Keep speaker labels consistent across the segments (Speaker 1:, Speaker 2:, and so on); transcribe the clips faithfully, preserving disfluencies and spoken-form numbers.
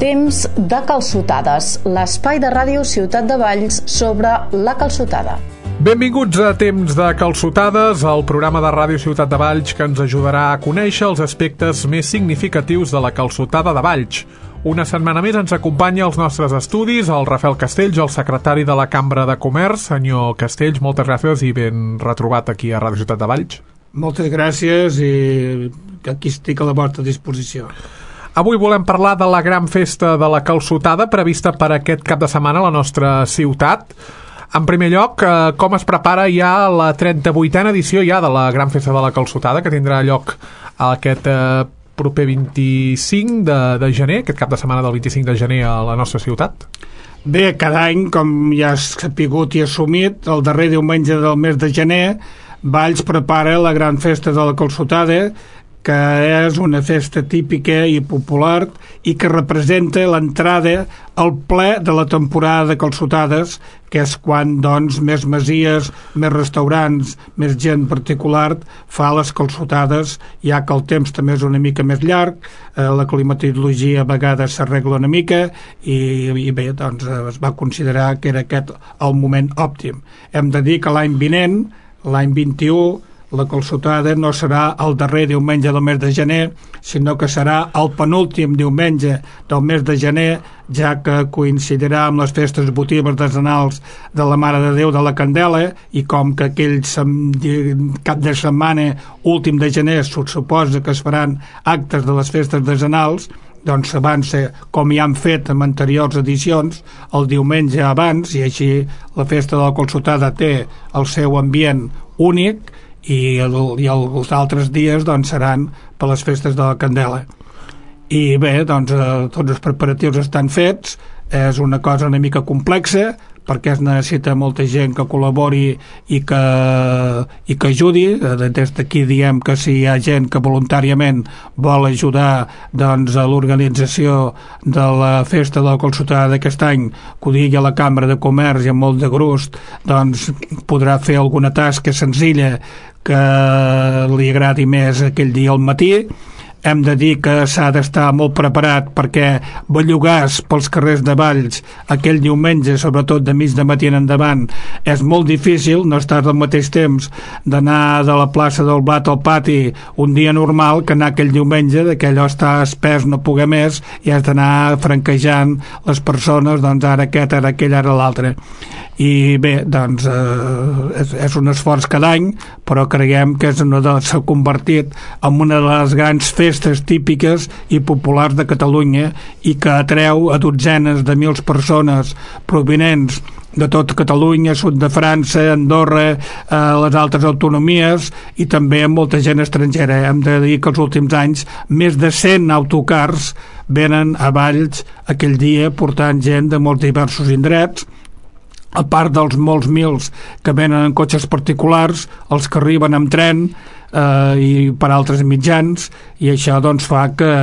Speaker 1: Temps de calçotades, l'espai de ràdio Ciutat de Valls sobre la calçotada.
Speaker 2: Benvinguts a Temps de calçotades, el programa de ràdio Ciutat de Valls que ens ajudarà a conèixer els aspectes més significatius de la calçotada de Valls. Una setmana més ens acompanya als nostres estudis el Rafael Castells, el secretari de la Cambra de Comerç. Senyor Castells, moltes gràcies i ben retrobat aquí a Ràdio Ciutat de Valls.
Speaker 3: Moltes gràcies i aquí estic a la vostra disposició.
Speaker 2: Avui volem parlar de la gran festa de la calçotada prevista per aquest cap de setmana a la nostra ciutat. En primer lloc, eh, com es prepara ja la trenta-vuitena edició ja de la gran festa de la calçotada, que tindrà lloc aquest eh, proper vint-i-cinc de, de gener, aquest cap de setmana del vint-i-cinc de gener a la nostra ciutat?
Speaker 3: Bé, cada any, com ja has sapigut i assumit, el darrer diumenge del mes de gener, Valls prepara la gran festa de la calçotada, que és una festa típica i popular i que representa l'entrada al ple de la temporada de calçotades, que és quan doncs més masies, més restaurants, més gent particular fa les calçotades, ja que el temps també és una mica més llarg, eh, la climatologia a vegades s'arregla una mica i, i bé, doncs es va considerar que era aquest el moment òptim. Hem de dir que l'any vinent, l'any vint-i-u, la calçotada no serà el darrer diumenge del mes de gener, sinó que serà el penúltim diumenge del mes de gener, ja que coincidirà amb les festes votives decenals de la Mare de Déu de la Candela, i com que aquell cap de setmana últim de gener se suposa que es faran actes de les festes decenals, doncs s'avança, com ja han fet en anteriors edicions, el diumenge abans, i així la festa de la calçotada té el seu ambient únic, i, el, i els altres dies doncs seran per les festes de la Candela. I bé, doncs eh, tots els preparatius estan fets. És una cosa una mica complexa perquè es necessita molta gent que col·labori i que, i que ajudi. Des d'aquí diem que si hi ha gent que voluntàriament vol ajudar doncs, a l'organització de la festa de la calçotada d'aquest any, que ho digui a la Cambra de Comerç i amb molt de gust, doncs podrà fer alguna tasca senzilla que li agradi més aquell dia al matí. Hem de dir que s'ha d'estar molt preparat perquè bellugars pels carrers de Valls aquell diumenge, sobretot de mig de matí en endavant, és molt difícil. No estàs al mateix temps d'anar de la plaça del Blat al pati un dia normal que anar aquell diumenge, que allò està espès no poder més, i has d'anar franquejant les persones, doncs ara aquest, ara aquell, ara l'altre. I bé, doncs eh, és, és un esforç cada any, però creiem que és una de, s'ha convertit en una de les grans festes típiques i populars de Catalunya i que atreu a dotzenes de mils persones provinents de tot Catalunya, sud de França, Andorra, eh, les altres autonomies, i també molta gent estrangera. Hem de dir que els últims anys més de cent autocars venen a Valls aquell dia portant gent de molts diversos indrets, a part dels molts mils que venen en cotxes particulars, els que arriben amb tren eh, i per altres mitjans, i això doncs fa que,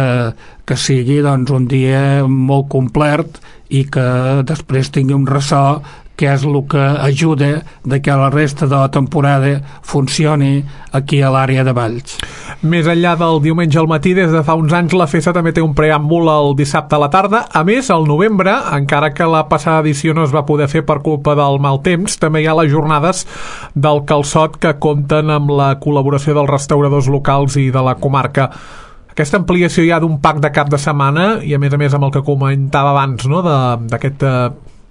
Speaker 3: que sigui doncs, un dia molt complet i que després tingui un ressò que és el que ajuda de que la resta de la temporada funcioni aquí a l'àrea de Valls.
Speaker 2: Més enllà del diumenge al matí, des de fa uns anys la festa també té un preàmbul el dissabte a la tarda. A més, al novembre, encara que la passada edició no es va poder fer per culpa del mal temps, també hi ha les jornades del calçot que compten amb la col·laboració dels restauradors locals i de la comarca. Aquesta ampliació ja d'un pack de cap de setmana, i a més a més amb el que comentava abans, no?, d'aquest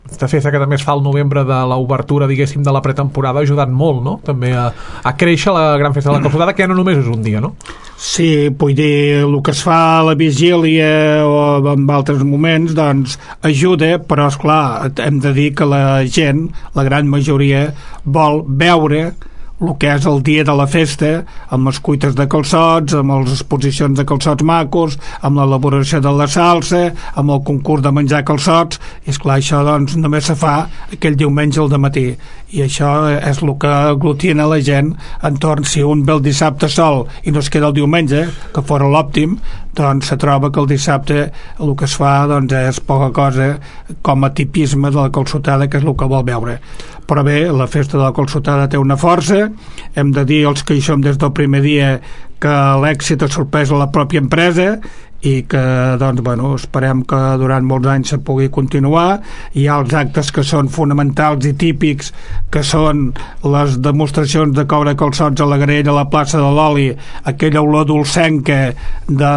Speaker 2: aquesta festa que també es fa al novembre de l'obertura, diguéssim, de la pretemporada, ha ajudat molt, no?, també a, a créixer la gran festa de la calçotada, que ja no només és un dia, no?
Speaker 3: Sí, vull dir, el que es fa a la vigília o en altres moments, doncs ajuda, però esclar, hem de dir que la gent, la gran majoria, vol veure el que és el dia de la festa, amb les cuites de calçots, amb les exposicions de calçots macos, amb l'elaboració de la salsa, amb el concurs de menjar calçots, i esclar, això doncs només se fa aquell diumenge al dematí, i això és el que aglutina la gent entorn. Si un ve el dissabte sol i no es queda el diumenge, que fora l'òptim, doncs se troba que el dissabte el que es fa doncs és poca cosa com a tipisme de la calçotada, que és el que vol veure. Però bé, la festa de la calçotada té una força. Hem de dir els que hi som des del primer dia que l'èxit ha sorprès a la pròpia empresa i que doncs, bueno, esperem que durant molts anys se pugui continuar. Hi ha els actes que són fonamentals i típics, que són les demostracions de coure calçots a la graella a la plaça de l'Oli, aquella olor dolcenca de,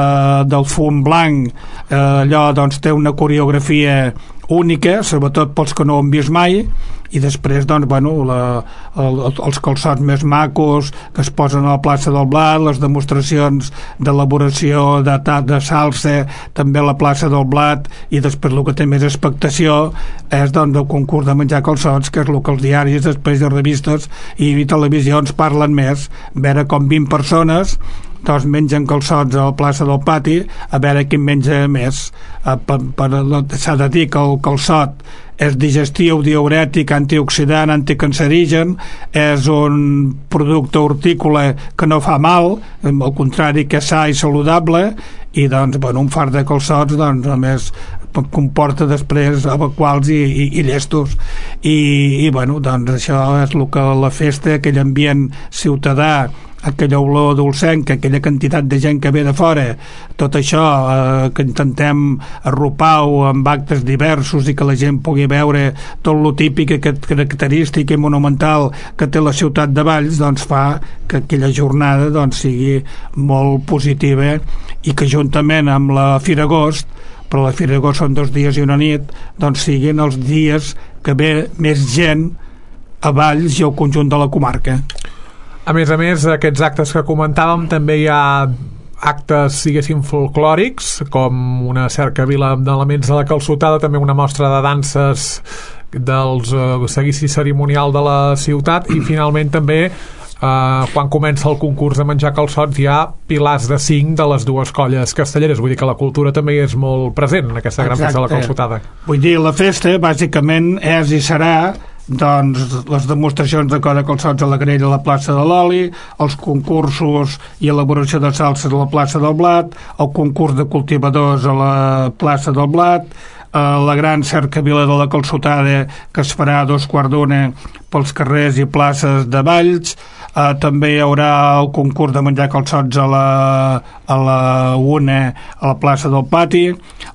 Speaker 3: del fum blanc, eh, allò doncs té una coreografia única, sobretot pels que no ho han vist mai, i després doncs, bueno, la, el, els calçots més macos que es posen a la plaça del Blat, les demostracions d'elaboració de, de salsa també a la plaça del Blat, i després el que té més expectació és doncs, el concurs de menjar calçots, que és el que els diaris, després de revistes i televisions parlen més, veure com vint persones doncs mengen calçots a la plaça del Pati, a veure qui menja més. Eh, per, per, s'ha de dir que el calçot és digestiu, diürètic, antioxidant, anticancerigen, és un producte hortícola que no fa mal, al contrari que és sa i saludable, i doncs, bueno, un fart de calçots doncs, a més comporta després evacuals i, i, i llestos, i, i bueno, doncs això és el que la festa, aquell ambient ciutadà, aquella olor dolcenca, aquella quantitat de gent que ve de fora, tot això eh, que intentem arropar-ho amb actes diversos i que la gent pugui veure tot lo típic, aquest característic i monumental que té la ciutat de Valls, doncs fa que aquella jornada doncs, sigui molt positiva, i que juntament amb la Fira Agost, però la Fira Agost són dos dies i una nit, doncs siguin els dies que ve més gent a Valls i al conjunt de la comarca.
Speaker 2: A més a més, aquests actes que comentàvem, també hi ha actes, diguéssim, folclòrics, com una cercavila d'elements de la calçotada, també una mostra de danses dels uh, seguici cerimonial de la ciutat, i finalment també Uh, quan comença el concurs de menjar calçots hi ha pilars de cinc de les dues colles castelleres, vull dir que la cultura també és molt present en aquesta gran festa de la calçotada.
Speaker 3: Vull dir, la festa bàsicament és i serà doncs les demostracions de coure calçots a la graella a la plaça de l'Oli, els concursos i elaboració de salses a la plaça del Blat, el concurs de cultivadors a la plaça del Blat, la gran cercavila de la calçotada que es farà a dos quarts d'una pels carrers i places de Valls. Uh, també hi haurà el concurs de menjar calçots a la, a la una a la plaça del Pati,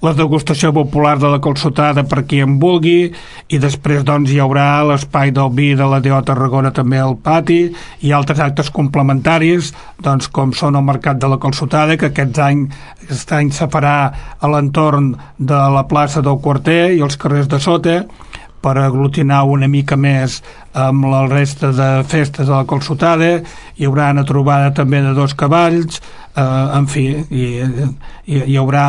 Speaker 3: la degustació popular de la calçotada per qui en vulgui, i després doncs hi haurà l'espai del vi de la D O Tarragona també al Pati, i altres actes complementaris doncs com són el mercat de la calçotada, que aquest any, aquest any se farà a l'entorn de la plaça del Quarter i els carrers de sota, per aglutinar una mica més amb la resta de festes de la calçotada. Hi haurà una trobada també de dos cavalls, eh, en fi, hi, hi, hi haurà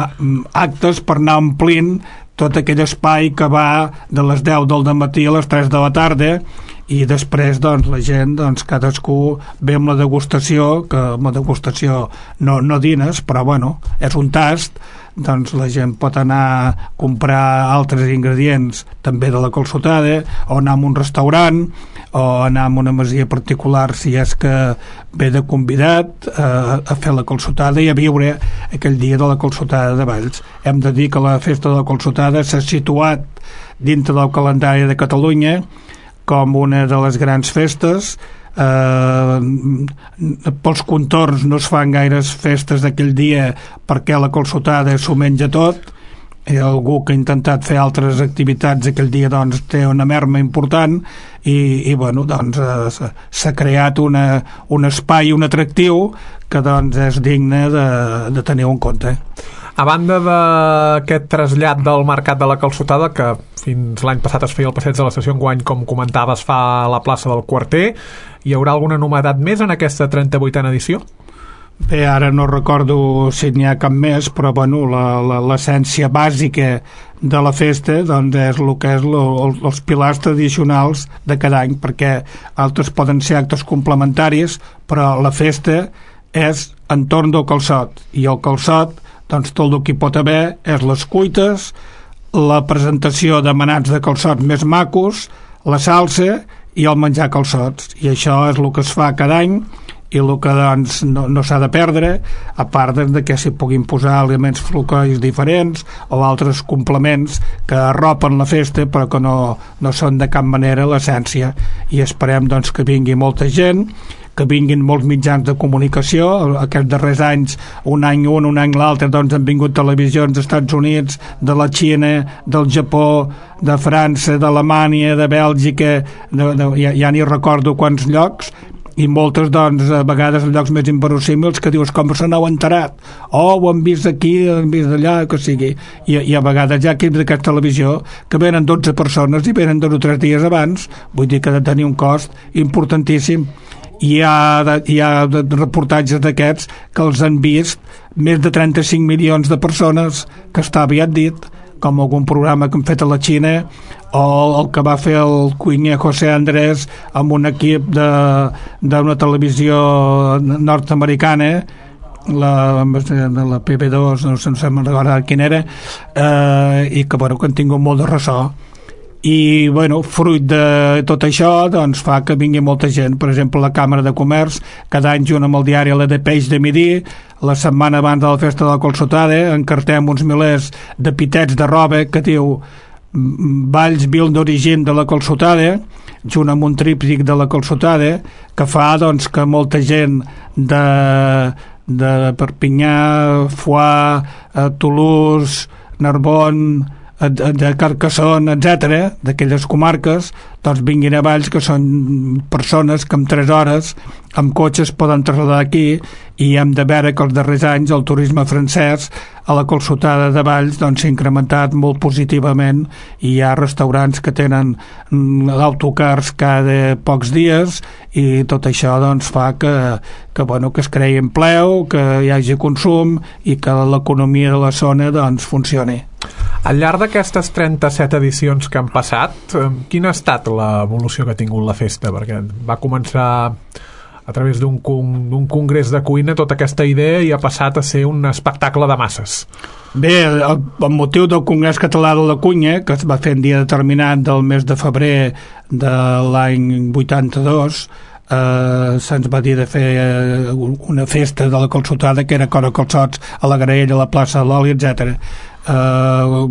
Speaker 3: actes per anar omplint tot aquell espai que va de les deu del matí a les tres de la tarda, i després doncs, la gent, doncs, cadascú ve amb la degustació, que amb la degustació no, no dines, però bueno, és un tast, doncs la gent pot anar a comprar altres ingredients també de la calçotada, o anar a un restaurant, o anar a una masia particular si és que ve de convidat a, a fer la calçotada i a viure aquell dia de la calçotada de Valls. Hem de dir que la festa de la calçotada s'ha situat dintre del calendari de Catalunya com una de les grans festes. Eh, pels contorns no es fan gaires festes d'aquell dia perquè la calçotada s'ho menja tot, i algú que ha intentat fer altres activitats aquell dia doncs té una merma important, i, i bueno, doncs eh, s'ha creat una, un espai, un atractiu que doncs és digne de, de tenir en compte.
Speaker 2: A banda d'aquest trasllat del mercat de la calçotada, que fins l'any passat es feia el passeig de l'estació, enguany, com comentaves, fa a la plaça del Quarter, hi haurà alguna novetat més en aquesta trenta-vuitena edició?
Speaker 3: Bé, ara no recordo si n'hi ha cap més, però bueno, l'essència bàsica de la festa doncs és el que és lo, els pilars tradicionals de cada any, perquè altres poden ser actes complementaris, però la festa és entorn del calçot, i el calçot doncs tot el que hi pot haver és les cuites, la presentació de manats de calçots més macos, la salsa i el menjar calçots, i això és el que es fa cada any, i el que doncs no, no s'ha de perdre, a part de que s'hi puguin posar elements folclòrics diferents o altres complements que arropen la festa però que no, no són de cap manera l'essència, i esperem doncs que vingui molta gent, que vinguin molts mitjans de comunicació. Aquests darrers anys, un any un, un any l'altre, doncs han vingut televisions dels Estats Units, de la Xina, del Japó, de França, d'Alemanya, de Bèlgica, de, de, ja, ja ni recordo quants llocs, i moltes, doncs, a vegades en llocs més inverosímils que dius com se n'heu enterat, oh, ho han vist aquí, ho han vist d'allà, que sigui, i, i a vegades hi ha equips d'aquesta televisió que venen dotze persones i venen dos o tres dies abans, vull dir que ha de tenir un cost importantíssim. Hi ha, de, hi ha de reportatges d'aquests que els han vist més de trenta-cinc milions de persones, que està aviat dit, com algun programa que han fet a la Xina, o el que va fer el cuiner José Andrés amb un equip d'una televisió nord-americana, la, la P B dos, no sé, no sé recordar quin era, eh, i que, bueno, que han tingut molt de ressò. I, bueno, fruit de tot això, doncs fa que vingui molta gent. Per exemple, la Càmera de Comerç, cada any junt amb el diari La de Peix de Midi, la setmana abans de la festa de la Colsotada, encartem uns milers de pitets de roba que diu Valls vil d'origen de la Colsotada, junt amb un tríptic de la Colsotada, que fa, doncs, que molta gent de, de Perpinyà, Foix, Toulouse, Narbonne, de Carcassonne, etcètera, d'aquelles comarques, doncs vinguin a Valls, que són persones que en tres hores amb cotxes poden traslladar aquí, i hem de veure que els darrers anys el turisme francès a la Colsotada de Valls doncs s'ha incrementat molt positivament, i hi ha restaurants que tenen autocars cada pocs dies, i tot això doncs fa que, que, bueno, que es creï empleu, que hi hagi consum i que l'economia de la zona doncs funcioni.
Speaker 2: Al llarg d'aquestes trenta-set edicions que han passat, quina ha estat l'evolució que ha tingut la festa? Perquè va començar a través d'un d'un congrés de cuina tota aquesta idea i ha passat a ser un espectacle de masses.
Speaker 3: Bé, el, el motiu del Congrés Català de la Cuina, que es va fer en dia determinat del mes de febrer de l'any vuitanta-dos, eh, se'ns va dir de fer eh, una festa de la Colsotada, que era Cora Calçots, a la Graella, a la plaça de l'Oli, etcètera. Uh,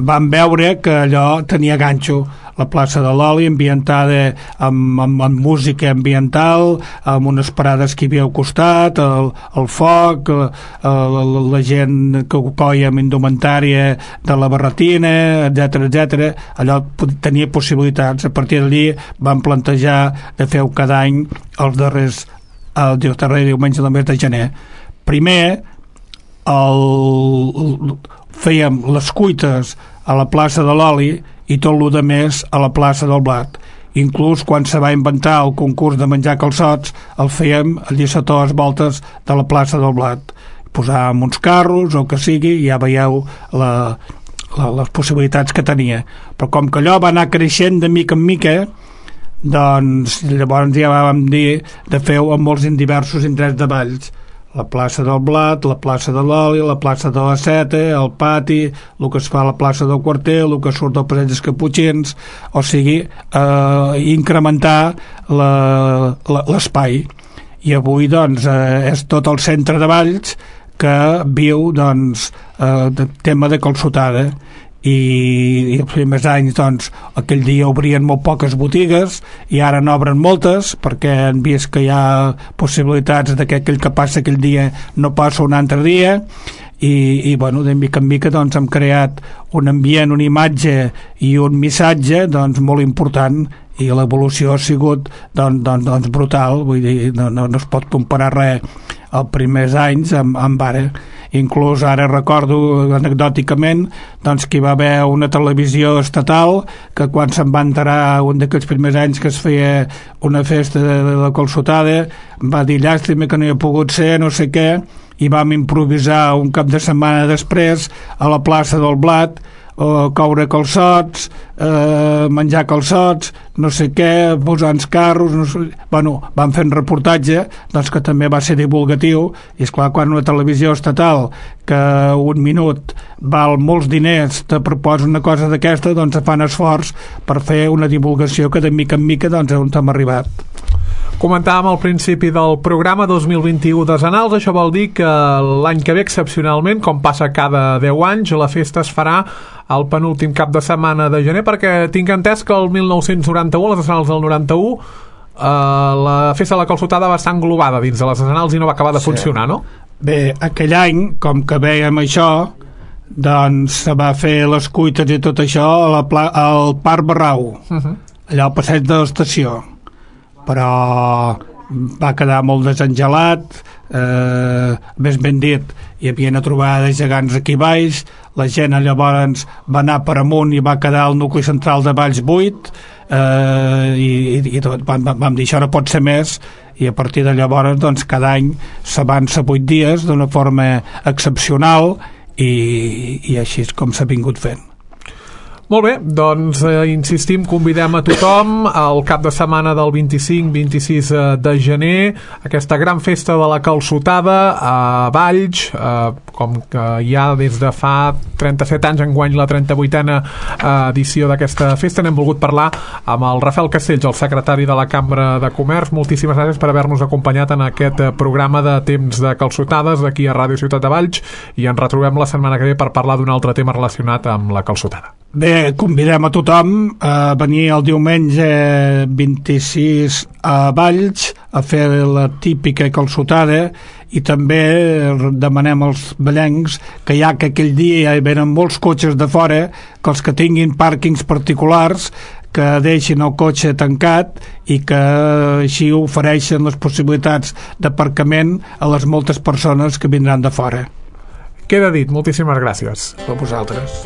Speaker 3: vam veure que allò tenia ganxo, la plaça de l'Oli ambientada amb, amb, amb música ambiental, amb unes parades que hi havia al costat, el, el foc, uh, la, la gent que coia amb indumentària de la barretina, etcètera, etcètera. Allò tenia possibilitats. A partir d'allí vam plantejar de fer-ho cada any els darrers, el darrer diumenge del mes de gener. Primer, el, el fèiem les cuites a la plaça de l'Oli i tot el de més a la plaça del Blat. Inclús quan se va inventar el concurs de menjar calçots, el fèiem a dissetores voltes de la plaça del Blat. Posàvem uns carros o que sigui, i ja veieu la, la, les possibilitats que tenia. Però com que allò va anar creixent de mica en mica, doncs llavors ja vam dir de fer-ho en molts diversos indrets de Valls. La plaça del Blat, la plaça de l'Oli, la plaça de la Seta, el pati, el que es fa a la plaça del Quarter, el que surt del Passeig dels Caputxins, o sigui, eh, incrementar l'espai. I avui, doncs, eh, és tot el centre de Valls que viu, doncs, eh, de tema de Colsotada. I, i els primers anys, doncs, aquell dia obrien molt poques botigues i ara n'obren moltes perquè han vist que hi ha possibilitats de que aquell que passa aquell dia no passa un altre dia, i, i bueno, de mica en mica doncs hem creat un ambient, una imatge i un missatge doncs molt important, i l'evolució ha sigut doncs, doncs, doncs brutal. Vull dir, no, no, no es pot comparar res els primers anys amb, amb ara. Inclús ara recordo anecdòticament doncs, que hi va haver una televisió estatal que quan se'n va enterar un d'aquests primers anys que es feia una festa de, de la Colsotada, va dir llàstima que no hi ha pogut ser, no sé què, i vam improvisar un cap de setmana després a la plaça del Blat, o coure calçots, eh, menjar calçots, no sé què, posar uns carros, no sé... Bueno, van fer un reportatge doncs, que també va ser divulgatiu, i esclar, quan una televisió estatal que un minut val molts diners te proposa una cosa d'aquesta, doncs fan esforç per fer una divulgació que de mica en mica doncs on hem arribat.
Speaker 2: Comentàvem al principi del programa dos mil vint-i-u desenals. Això vol dir que l'any que ve, excepcionalment, com passa cada deu anys, la festa es farà el penúltim cap de setmana de gener, perquè tinc entès que el mil nou-cents noranta-u, les desenals del noranta-u, Uh, la festa de la calçotada va estar englobada dins de les Arsenals i no va acabar de sí. funcionar, no?
Speaker 3: Bé, aquell any, com que veiem això, doncs se va fer les cuites i tot això a la pla al Parc Barrau, uh-huh. allà al passeig de l'estació, però va quedar molt desengelat, eh, més ben dit, hi havia una trobada de gegants aquí baix, la gent llavors va anar per amunt i va quedar el nucli central de Valls buit, eh, i, i tot, vam, vam dir això no pot ser més, i a partir de llavors doncs, cada any s'avança vuit dies d'una forma excepcional i, i així és com s'ha vingut fent.
Speaker 2: Molt bé, doncs eh, insistim, convidem a tothom al cap de setmana del vint-i-cinc vint-i-sis de gener, aquesta gran festa de la calçotada a Valls, eh, com que ja des de fa trenta-set anys, enguany la trenta-vuitena edició d'aquesta festa. N'hem volgut parlar amb el Rafael Castells, el secretari de la Cambra de Comerç. Moltíssimes gràcies per haver-nos acompanyat en aquest programa de Temps de Calçotades d'aquí a Ràdio Ciutat de Valls, i ens retrobem la setmana que ve per parlar d'un altre tema relacionat amb la calçotada.
Speaker 3: Bé, convidem a tothom a venir el diumenge vint-i-sis a Valls a fer la típica calçotada, i també demanem als vallencs que ja que aquell dia hi venen molts cotxes de fora, que els que tinguin pàrquings particulars que deixin el cotxe tancat i que així ofereixen les possibilitats d'aparcament a les moltes persones que vindran de fora.
Speaker 2: Queda dit, moltíssimes gràcies.
Speaker 3: A vosaltres.